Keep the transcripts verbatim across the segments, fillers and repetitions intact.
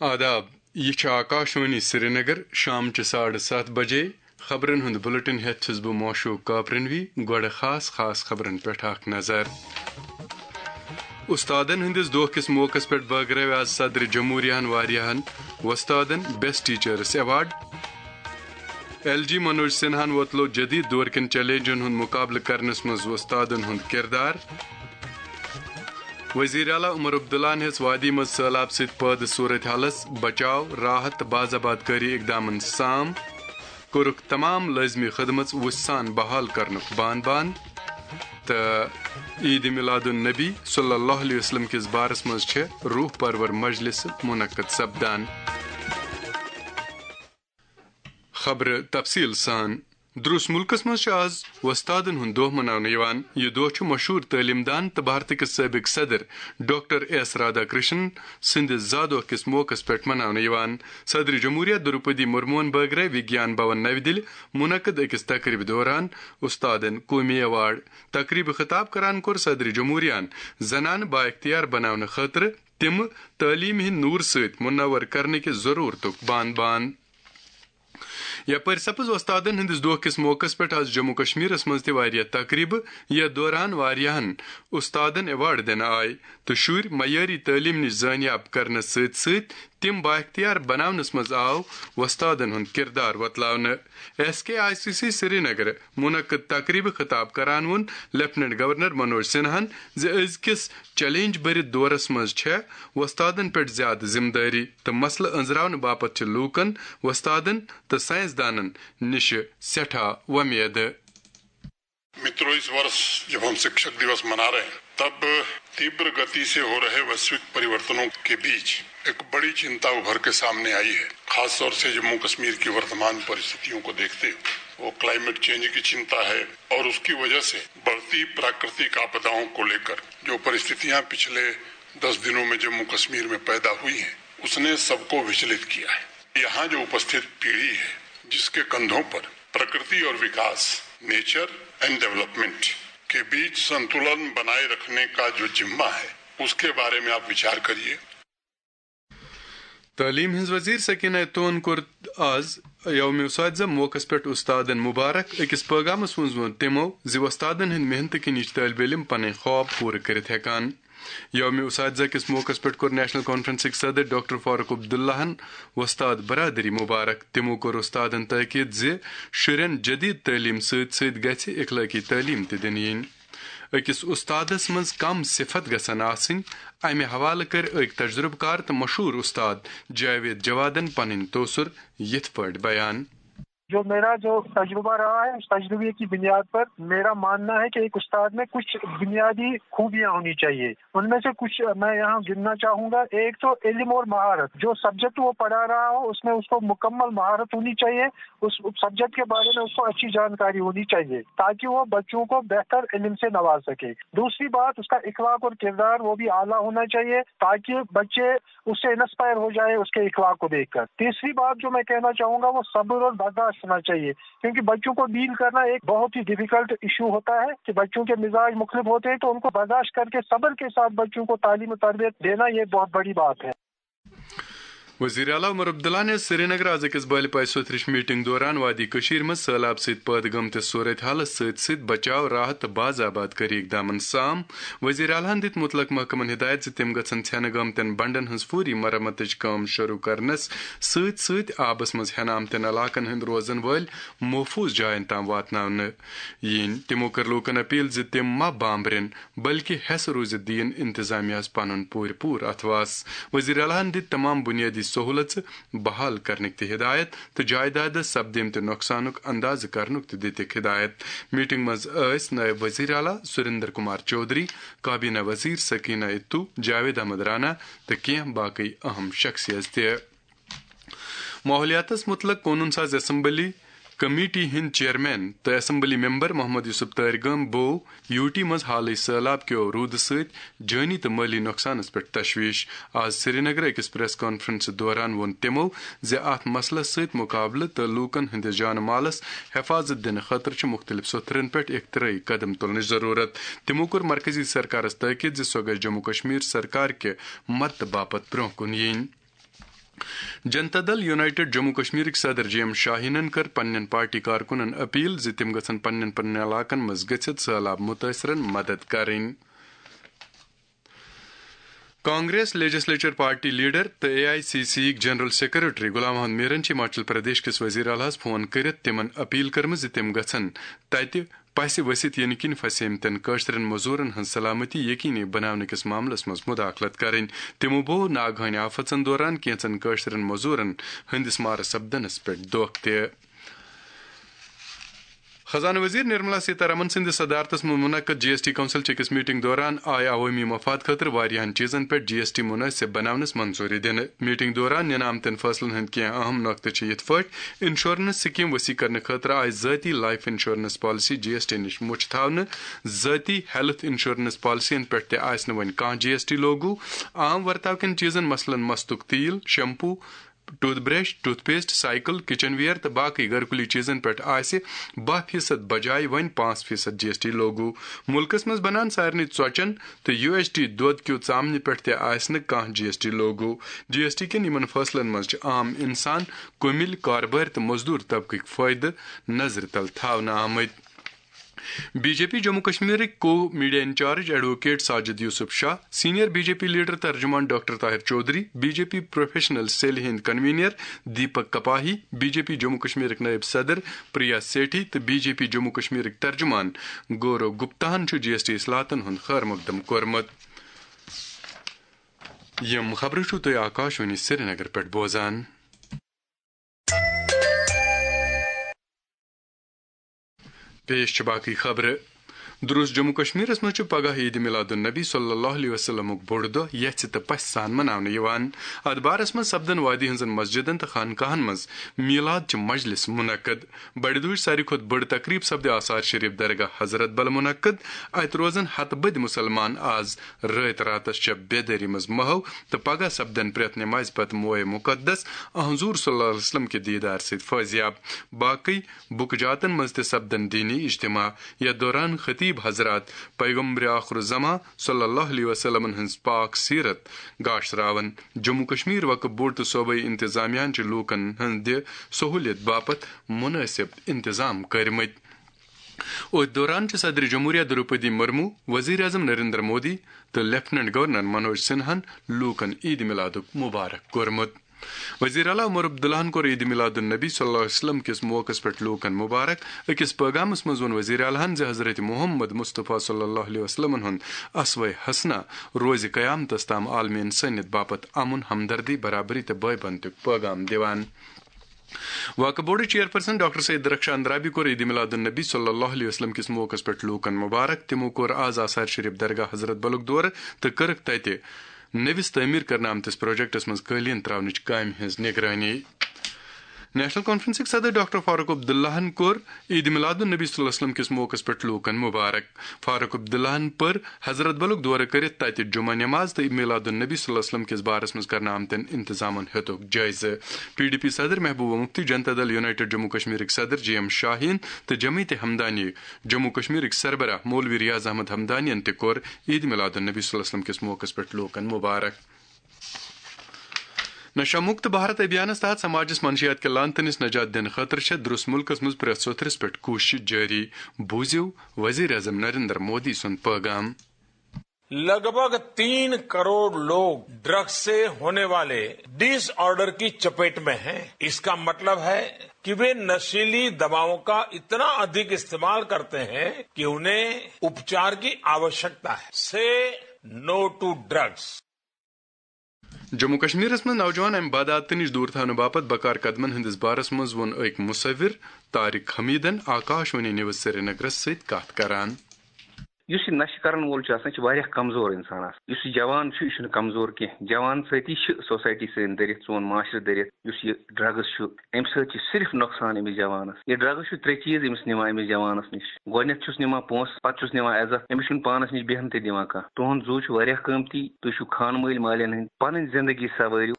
آداب، یہِ چھِ آکاشوانی سرینگر۔ شامچہِ ساڑٕ ستھ بجے خبرن ہُنٛد بلیٹن ہٮ۪تھ چھُس بہٕ موشوق کاپرنوی۔ گۄڈٕ خاص خاص خبرن پٮ۪ٹھ اکھ نظر۔ استادن ہٕنٛدِس دۄہ کِس موقعس پٮ۪ٹھ بٲگرٲوۍ آز صدر جمہوریہن واریاہن وۄستادن بیسٹ ٹیچرس ایوارڈ۔ ایل جی منوج سنہاہن وۄتلوو جدید دور کٮ۪ن چیلنجن ہُنٛد مقابلہٕ کرنس منٛز وۄستادن ہُنٛد کردار۔ وزیر اعلیٰ عمر عبداللہن ہیٚژ وادی منٛز سٔہلاب سۭتۍ پٲدٕ صورت حالس بچاو، راحت تہٕ باز آباد کٲری اقدامن سام۔ کوٚرُکھ تمام لٲزمی خدمژ وُژھِ سان بحال کرنُک بان بان۔ تہٕ عید میلاد النبی صلی اللہ علیہ وسلم کِس بارس منٛز چھِ روح پرور مجلس منعقد سپدان۔ خبرٕ تفصیل سان۔ درُس مُلکس منٛز چھُ آز وۄستادن ہُنٛد دۄہ مناونہٕ یِوان۔ یہِ دۄہ چھُ مشہوٗر تعلیٖم دان تہٕ بھارتہٕ کِس سٲبِق صدر ڈاکٹر ایس رادھا کرشنن سٕنٛدِ زا دۄہ کِس موقعس پٮ۪ٹھ مناونہٕ یِوان۔ صدر جمہوریہ دروپدی مرموہن بٲگرٲوۍ وگیان بھون نَوِ دِلہِ منعقد أکِس تقریبہِ دوران استادن قومی ایوارڈ۔ تقریبہِ خطاب کران کوٚر صدر جمہوریہن زنانہٕ بااختیار بناونہٕ خٲطرٕ تِم تعلیٖم ہٕنٛدۍ نوٗر سۭتۍ منور کرنہٕ کہِ ضروٗرتُک بان بان۔ یپٲرۍ سپٕز وۄستادن ہٕنٛدِس دۄہ کِس موقعس پٮ۪ٹھ آز جموں کشمیرس منٛز تہِ واریاہ تقریبہٕ، یتھ دوران واریاہن استادن ایوارڈ دِنہٕ آے تہٕ شُرۍ معیٲری تعلیٖم نِش زٲنیاب کرنس سۭتۍ سۭتۍ تِم بااختیار بناونس منٛز آو وۄستادن ہُنٛد کردار وۄتلاونہٕ۔ S K I C C Srinagar منعقد تقریبہٕ خطاب کران ووٚن لیفٹیننٹ گورنر منوج سنہاہن زِ أزکِس چیلنج بٔرِتھ دورس منٛز چھےٚ وۄستادن پٮ۪ٹھ زیادٕ ذمہٕ دٲری تہٕ مسلہٕ أنٛزراونہٕ باپتھ چھِ لوٗکن، وۄستادن تہٕ ساینس دانن نِشہِ سٮ۪ٹھاہ وۄمید۔ मित्रों, इस वर्ष जब हम शिक्षक दिवस मना रहे हैं, तब तीव्र गति से हो रहे वैश्विक परिवर्तनों के बीच एक बड़ी चिंता उभर के सामने आई है। खासतौर से जम्मू कश्मीर की वर्तमान परिस्थितियों को देखते हुए वो क्लाइमेट चेंज की चिंता है और उसकी वजह से बढ़ती प्राकृतिक आपदाओं को लेकर जो परिस्थितियां पिछले दस दिनों में जम्मू कश्मीर में पैदा हुई हैं, उसने सबको विचलित किया है। यहाँ जो उपस्थित पीढ़ी है, जिसके कंधों पर प्रकृति और विकास, नेचर एंड डेवलपमेंट के बीच संतुलन बनाए रखने का जो जिम्मा है, उसके बारे में आप विचार करिए। تعلیٖم ہٕنٛز وزیر سکینہ توہن کوٚر آز یوم اساتذہ موقعس پٮ۪ٹھ استادن مبارک۔ أکِس پٲغامس منٛز ووٚن تِمو زِ وۄستادن ہٕنٛدِ محنتہٕ کِنۍ چھِ طٲلبہِ علم پنٕنۍ خواب پوٗرٕ کٔرِتھ ہٮ۪کان۔ یوم اساتذہ کِس موقعس پٮ۪ٹھ کوٚر نیشنل کانفرنسٕکۍ صدر ڈاکٹر فاروق عبداللہن وۄستاد برادری مبارک۔ تِمو کوٚر استادن تٲکید زِ شُرٮ۪ن جدید تعلیٖم سۭتۍ سۭتۍ گژھِ اخلٲقی تعلیٖم تہِ دِنہٕ یِنۍ۔ أکِس استادس منٛز کم صفت گژھن آسٕنۍ، امہِ حوالہٕ کٔرۍ أکۍ تجربہٕ کار تہٕ مشہوٗر استاد جاوید جوادن پنٕنۍ تٲثر یِتھ پٲٹھۍ بیان۔ جو میرا جو تجربہ رہا ہے، اس تجربے کی بنیاد پر میرا ماننا ہے کہ ایک استاد میں کچھ بنیادی خوبیاں ہونی چاہیے۔ ان میں سے کچھ میں یہاں گننا چاہوں گا۔ ایک تو علم اور مہارت، جو سبجیکٹ وہ پڑھا رہا ہو، اس میں اس کو مکمل مہارت ہونی چاہیے، اس سبجیکٹ کے بارے میں اس کو اچھی جانکاری ہونی چاہیے، تاکہ وہ بچوں کو بہتر علم سے نواز سکے۔ دوسری بات، اس کا اخلاق اور کردار وہ بھی اعلیٰ ہونا چاہیے، تاکہ بچے اس سے انسپائر ہو جائے اس کے اخلاق کو دیکھ کر۔ تیسری بات جو میں کہنا چاہوں گا، وہ صبر اور برداشت ہونا چاہیے، کیونکہ بچوں کو ڈیل کرنا ایک بہت ہی ڈیفیکلٹ ایشو ہوتا ہے کہ بچوں کے مزاج مختلف ہوتے ہیں، تو ان کو برداشت کر کے صبر کے ساتھ بچوں کو تعلیم و تربیت دینا، یہ بہت بڑی بات ہے۔ وزیر اعلیٰ عمر عبداللہ نے سرینگر آز أکِس بٲلۍ پایہِ سوٚتھرِش میٹنگ دوران وادی کٔشیٖر منٛز سٔہلاب سۭتۍ پٲدٕ گٔمتِس صورت حالس سۭتۍ سۭتۍ بچاو، راحت تہٕ باز آباد کٲری اقدامن سام۔ وزیر اعلیٰ ہن دِتۍ مُتلق محکمن ہدایت زِ تِم گژھن ژھٮ۪نہٕ گٲمتٮ۪ن بنڈن ہٕنٛز فوری مرمتٕچ کٲم شروع کرنس سۭتۍ سۭتۍ آبس منٛز ہٮ۪نہٕ آمتٮ۪ن علاقن ہٕنٛدۍ روزن وٲلۍ محفوظ جاین تام واتناونہٕ یِنۍ۔ تِمو کٔر لوٗکن اپیل زِ تِم ما بامبرن، بلکہِ ہٮ۪س روٗزِتھ دِیِن انتظامیہ ہَس پنُن پوٗرٕ پوٗرٕ اتھواس۔ وزیر اعلیٰ ہن دِتۍ تمام بنیٲدی سہولژٕ بحال کرنٕکۍ تہِ ہدایت تہٕ جائیدادس سپدیمتہِ نۄقصانُک اندازٕ کرنُک تہِ دِتِکھ ہدایت۔ میٹنگ منٛز ٲسۍ نائب وزیر اعلیٰ سریندر کمار چودھری، کابینہ وزیر سکینہ اتو، جاوید احمد رانا تہٕ کینٛہہ باقی اہم شخصیت تہِ۔ ماحولیاتس متعلق قونوٗن ساز اسمبلی کمیٹی ہٕنٛدۍ چیئرمین تہٕ اسمبلی ممبر محمد یوسف تٲرگٲم بو یوٹی منٛز حالٕے سٔہلاب کیو روٗدٕ سۭتۍ جٲنی تہٕ مٲلی نۄقصانس پٮ۪ٹھ تشویش۔ آز سرینگرٕ أکِس پریس کانفرنسہٕ دوران ووٚن تِمو زِ اتھ مسلس سۭتۍ مقابلہٕ تہٕ لوٗکن ہٕنٛدِس جان مالس حفاظت دِنہٕ خٲطرٕ چھِ مُختٔلِف سوٚتھرن پٮ۪ٹھ اختراعی قدم تُلنٕچ ضروٗرت۔ تِمو کوٚر مرکزی سرکارس تاکید زِ سۄ گژھِ جموں کشمیر سرکار کہِ مدتہٕ باپتھ برٛونٛہہ کُن یِنۍ۔ جنتا دل یونائیٹڈ جموں کشمیرٕکۍ صدر جی ایم شاہینن کٔر پننٮ۪ن پارٹی کارکُنن اپیل زِ تِم گژھن پننٮ۪ن پننٮ۪ن علاقن منٛز گٔژھِتھ سہلاب مُتٲثرن مدد کرٕنۍ۔ کانگریس لیجسلیچر پارٹی لیڈر تہٕ اے آئی سی سی یِکۍ جنرل سیکرٹری غلام محمد میرن چھِ ہماچل پردیش کِس وزیر اعلیٰ ہَس فون کٔرِتھ تِمن اپیل کٔرمٕژ زِ تِم گژھن تتہِ پسہِ ؤسِتھ یِنہٕ کِنۍ پھسیمتٮ۪ن کٲشرٮ۪ن مٔزوٗرن ہٕنٛز سلامتی یقینی بناونہٕ کِس معاملس منٛز مداخلت کرٕنۍ۔ تِمو بوو ناگہٲنی آفتن دوران کینٛژن کٲشرٮ۪ن مٔزوٗرن ہٕنٛدِس مارٕ سپدنس پٮ۪ٹھ دۄکھ تہِ۔ خزانہٕ وزیر نرملا سیتارمن سٕنٛدِ صدارتس منٛز منعقد جی ایس ٹی کونسل چہِ أکِس میٹنگ دوران آیہِ عوٲمی مفاد خٲطرٕ واریاہن چیٖزن پٮ۪ٹھ جی ایس ٹی منٲسب بناونس منظوٗری دِنہٕ۔ میٹنگ دوران نِنہٕ آمتٮ۪ن فٲصلن ہٕنٛدۍ کینٛہہ اہم نۄقطہٕ چھِ یِتھ پٲٹھۍ: انشورنس سکیم وسیع کرنہٕ خٲطرٕ آیہِ ذٲتی لائف انشورنس پالیسی جی ایس ٹی نِش مُچھ تھاونہٕ، ذٲتی ہیلتھ انشورنس پالیسین پٮ۪ٹھ تہِ آسہِ نہٕ وۄنۍ کانٛہہ جی ایس ٹی لاگو، عام ورتاو کٮ۪ن چیٖزن مثلاً مستُک تیٖل، shampoo, tooth brush, tooth paste, cycle, kitchen ware تہٕ باقی گرکُلی چیزن پٮ۪ٹھ آسہِ باہ فیصد بجایہِ وۄنۍ پانٛژھ فیصد جی ایس ٹی لاگو۔ مُلکس منٛز بنان سارنٕے ژۄچن تہٕ یو ایس ٹی دۄد کیو ژامنہِ پٮ۪ٹھ تہِ آسہِ نہٕ کانٛہہ جی ایس ٹی لاگو۔ جی ایس ٹی کٮ۪ن یِمن فٲصلن منٛز چھِ عام انسان، کُمِلۍ، کاربٲرۍ تہٕ مزدور طبقٕکۍ فٲیدٕ نظرِ تل تھاونہٕ آمٕتۍ۔ بی جے پی جموں کشمیرٕکۍ co media incharge advocate Sajid Yousuf Shah, senior B J P leader ترجمان doctor Tahir Chaudhary, B J P professional سیلہِ ہٕنٛدۍ convener Deepak Kapahi, B J P Jammu کشمیرٕکۍ نائب صدر پریا سیٹھی تہٕ بی جے پی جموں کشمیرٕکۍ ترجمان گورو گپتاہن چھُ جی ایس ٹی اصلاحاتن ہُنٛد خیر مقدم کوٚرمُت۔ یِم خبرٕ چھِو تُہۍ آکاشوانی سرینگر پٮ۪ٹھ بوزان۔ پیش چھِ باقٕے خبرٕ۔ درست جموں کشمیرس منٛز چھُ پگاہ عید میلاد النبی صلی اللہ علیہ وسلمُک بوٚڑ دۄہ یژھِ تہٕ پژھِ سان مناونہٕ یِوان۔ اتھ بارس منٛز سپدن وادی ہٕنٛزن مسجدن تہٕ خانقاہن منٛز میلاد چہِ مجلس منعقد۔ بڑِ دُہٕچ ساروی کھۄتہٕ بٔڑ تقریب سپدِ آثار شریف درگاہ حضرت بل منعقد۔ اتہِ روزن ہتہٕ بٔدۍ مسلمان آز رٲتۍ راتس چہِ بیدٲری منٛز محو تہٕ پگاہ سپدن پرٛٮ۪تھ نمازِ پتہٕ موئے مقدس حضور صلی اللہ علیہ وسلم کہِ دیدار سۭتۍ فٲضیاب۔ باقٕے بُکہٕ جاتن منٛز تہِ سپدن دینی اجتماع۔ یتھ دوران خطیب حضرات پیغمبر آخر الزمان صلی اللہ علیہ وسلمن ہٕنٛز پاک سیرت گاشراون۔ جموں کشمیر وقف بورڈ تہٕ صوبٲئی انتظامیہ ہن چھِ لوٗکن ہٕنٛدِ سہوٗلیت باپتھ منٲسب انتظام کٔرمٕتۍ۔ أتھۍ دوران چھِ صدر جمہوریہ دروپدی مرمو، وزیر اعظم نریندر مودی تہٕ لیفٹیننٹ گورنر منوج سنہاہن لوٗکن عید میلادُک مبارک کوٚرمُت۔ وزیر اعلیٰ عمر عبداللہن کوٚر عید میلاد النبی صلی اللہ علیہ وسلم کِس موقعس پٮ۪ٹھ لوٗکن مبارک۔ أکِس پٲغامس منٛز ووٚن وزیر اعلیٰ ہن زِ حضرت محمد مصطفیٰ صلی اللہ علیہ وسلمن ہُنٛد اسوہ حسنہ روزِ قیامتس تام عالمِ انسٲنیت باپتھ امن، ہمدردی، برابری تہٕ بٲے بنتُک پٲغام دِوان۔ وقف board chairperson doctor Syed Darakhshan Andrabi کوٚر عید میلاد النبی صلی اللہ علیہ وسلم کِس موقعس پٮ۪ٹھ لوٗکن مبارک۔ تِمو کوٚر آز آثار شریف درگاہ حضرت بلُک دورٕ تہٕ کٔرٕکھ تتہِ نٔوِس تعمیٖر کرنہٕ آمتِس پروجیکٹس منٛز قٲلیٖن تراونٕچ کامہِ ہٕنٛز نگرٲنی۔ نیشنل کانفرنسٕکۍ صدر ڈاکٹر فاروق عبداللہن کوٚر عید میلاد النبی صلی اللہ علیہ وسلم کِس موقعس پٮ۪ٹھ لوٗکن مبارک۔ فاروق عبداللہن پٔر حضرت بلُک دورٕ کٔرِتھ تتہِ جمعہ نماز تہٕ میلاد النبی صلی اللہ علیہ وسلم کِس بارس منٛز کرنہٕ آمتٮ۪ن انتظامن ہیوٚتُکھ جٲیزٕ۔ پی ڈی پی صدر محبوبہ مفتی، جنتا دل یونائیٹڈ جموں کشمیرٕکۍ صدر جی ایم شاہین تہٕ جمعیت ہمدانی جموں کشمیرٕکۍ سربراہ مولوی ریاض احمد ہمدانین تہِ کوٚر عید میلاد النبی صلی اللہ علیہ وسلم کِس موقعس پٮ۪ٹھ لوٗکن مبارک۔ نشہ مکت بھارت ابھیانس تحت سماجس منشیات کہِ لعنتہٕ نِش نجات دِنہٕ خٲطرٕ چھےٚ درست مُلکس منٛز پرٛٮ۪تھ سوٚتھرِس پٮ۪ٹھ کوٗشش جٲری۔ بوٗزِو وزیر اعظم نریندر مودی سُنٛد پٲغام۔ लगभग तीन करोड़ लोग ड्रग्स से होने वाले डिसऑर्डर की चपेट में हैं। इसका मतलब है कि वे नशीली दवाओं का इतना अधिक इस्तेमाल करते हैं कि उन्हें उपचार की आवश्यकता है। से नो टू ड्रग्स। جموں کشمیرس منٛز نوجوان امہِ بدعاتہٕ نِش دوٗر تھاونہٕ باپتھ بکار قدمن ہٕنٛدِس بارس منٛز ووٚن أکۍ مصور طارق حمیدن آکاش وانی نیوز سرینگرس سۭتۍ کتھ کران۔ یُس یہِ نشہٕ کرن وول چھُ آسان، یہِ چھُ واریاہ کمزور انسان آسان۔ یُس یہِ جوان چھُ، یہِ چھُنہٕ کمزور کینٛہہ۔ جوان سۭتی چھِ سوسایٹی سٲنۍ دٔرِتھ، سون معاشرٕ دٔرِتھ۔ یُس یہِ ڈرگز چھُ، امہِ سۭتۍ چھُ صرف نۄقصان أمِس جوانس۔ یہِ ڈرگز چھُ ترٛےٚ چیٖز أمِس نِوان، أمِس جوانس نِش۔ گۄڈٕنیتھ چھُس نِوان پونٛسہٕ، پتہٕ چھُس نِوان عزت، أمِس چھُنہٕ پانس نِش بیہنہٕ تہِ دِوان کانٛہہ۔ تُہُنٛد زُو چھُ واریاہ قۭمتی، تُہۍ چھِو خانہٕ مٲلۍ مالٮ۪ن ہٕنٛدۍ، پنٕنۍ زندگی سوٲرِو۔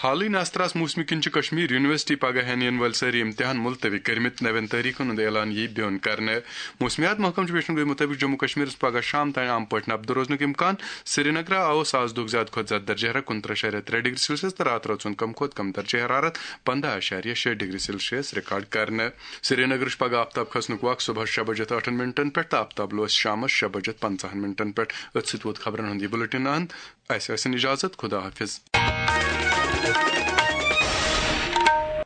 حالٕے نسترس موسمہِ کِنۍ چھِ کشمیر یونیورسٹی پگاہ ہٮ۪ن یِنہٕ وٲلۍ سٲری امتحان ملتوی کٔرمٕتۍ۔ نوٮ۪ن تٲریخن ہُنٛد اعلان یِیہِ بیوٚن کرنہٕ۔ موسمیات محکمہٕ چھُ ویشن گوئی مُطٲبِق جموں کشمیر پگہہ شام تام عام پٲٹھۍ نبدٕ روزنُک امکان۔ سرینگرٕ آوس آز دۄہُک زیادٕ کھۄتہٕ زیادٕ درجہ حرارت کُنترٕہ اعشاریہ ترٛےٚ ڈگری سیلسیس تہٕ راتہٕ رٲژ ہُنٛد کم کھۄتہٕ کم درجہ حرارت پنٛداہ اعشاریہ شےٚ ڈگری سیلسیس ریکارڈ کرنہٕ۔ سرینگرٕ چھُ پگہہ آفتاب کھسنُک وق صبحس شےٚ بجے ٲٹھن منٹن پٮ۪ٹھ تہٕ آفتاب لوس شامس شےٚ بجے پنٛژاہن منٹن پٮ۪ٹھ۔ أتھۍ سۭتۍ ووت خبرن ہُنٛد یہِ بُلٹن اند۔ اسہِ ٲسِن اجازت، خدا حافظ۔